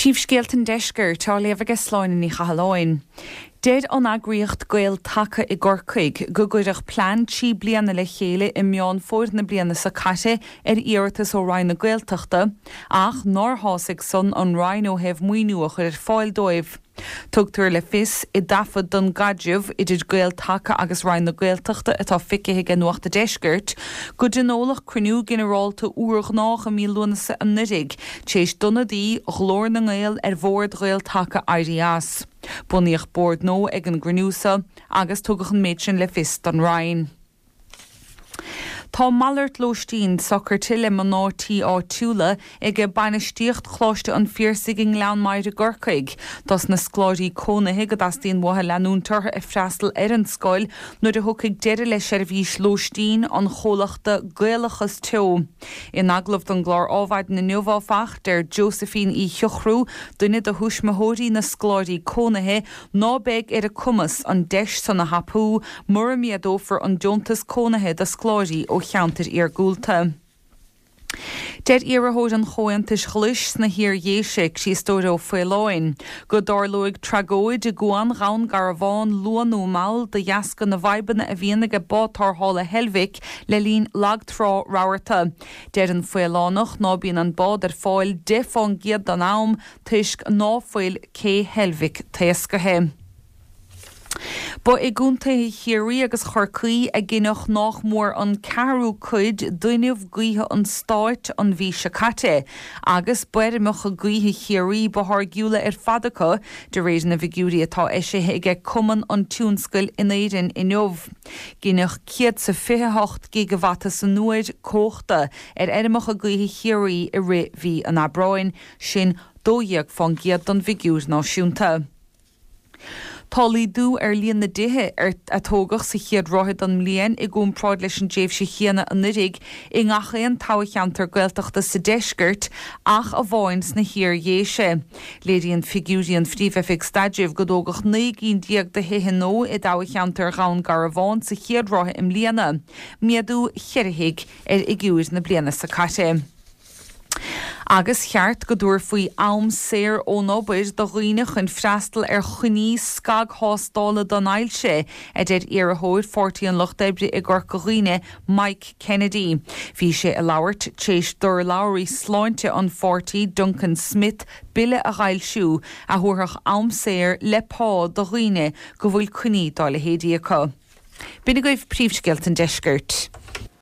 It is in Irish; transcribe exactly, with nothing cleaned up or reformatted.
Príomhscéalta an Deiscirt á léamh aige Sláine Ní Chathalláin. Deir an eagraíocht Gael Taca i gCorcaigh go gcuireadh plean trí bliana le chéile i Meán Fómhair na bliana seo caite ar iarratas ó Roinn na Gaeltachta, ach nár shásaigh san an Roinn ó thaobh maoiniú a chur ar fáil dóibh. Tugtar le fios i dtaifead don gcaidreamh idir Gael Taca agus Roinn na Gaeltachta atá feicthe ag Nuacht an Deiscirt, go dtionóladh cruinniú ginearálta urghnách i mí Lúnasa anuraidh, tar éis d'ionadaí Ghlór na nGael ar bhord Ghael Taca éirí as. Bunaíodh bord nua ag an gcruinniú seo agus tugadh an méid sin le fios don Roinn. Tá malairt lóistín socraithe le mná tí áitiúla ag bainistíocht Choláiste an Phiarsaigh i nGleann Maghair i gCorcaigh. Dos na scoláirí cónaithe go dteastaíonn uathu leanúint orthu ag freastal ar an scoil nuair a thiocfaidh deireadh le seirbhís lóistín an chomhlachta Gaelachas Teo. In agallamh don gclár Adhmhaidin inniu áfach, deir Josephine Uí Shiochrú, duine de thuismitheoirí na scoláirí cónaithe, ná beidh ar a cumas an deis san a thapú mura méadófar an deontas cónaithe do scoláirí ó cheantair iargúlta. Deir iarrthóir an Chomhaontais Ghlais sna hIar-Dhéise, Críostóir Ó Faoláin, go dtarlóidh tragóid i gCuan Dhún Garbhán luath nó mall de dheasca na bhfadhbanna a bhíonn ag bád tarrthála Heilbhic le linn lagtrá rabharta. Deir an Faolánach ná bíonn an bád ar fáil deich faoin gcéad den am toisc ná fuil cé Heilbhic taoscaithe. Ba i gcontaetha Chiarraí agus Chorcaí a gineadh nách mór an ceathrú cuid d'fhuinneamh gaoithe an stáit an mhí seo caite, agus b'fheirmeacha gaoithe Chiarraí ba tháirgiúla ar fad acu, de réir na bhfigiúirí atá eisithe aige Cumann an Tionscail in Éirinn inniu. Gineadh céad is fiche hocht gigabhata san uair cumhachta ar fheirmeacha gaoithe Chiarraí i rith mhí an Aibreáin, sin dó dhéag faoin gcéad den bhfigiúr náisiúnta. Tá laghdú ar líon na dtithe ar a tógadh sa chéad ráithe den mbliain i gcomparáid leis an dtréimhse chéanna anuraidh i ngach aon toghcheantar Gaeltachta sa deisceart ach amháin sna hIar-Dhéise. Léiríonn figiúirí an Phríomh-Oifig Staidrimh go dtógadh naoi gcinn déag de thithe nua i dtoghcheantar Dhún Garbhán sa chéad ráithe i mbliana, méadú ceithre thigh ar fhigiúir na bliana seo caite. Agus cheart go dtabharfaí am saor ón obair do dhaoine chun freastal ar choinní scagthástála don ailse, a deir iarrthóir Pháirtí an Lucht Oibre i gCorca Dhuibhne, Mike Kennedy. Bhí sé ag labhairt tar éis d'urlabhraí sláinte an pháirtí Duncan Smith bille a fhoilsiú a thabharfadh am saor le pá do dhaoine go bhfuil coinní dá leithéidí acu. B'in agaibh príomhscéalta an deiscirt.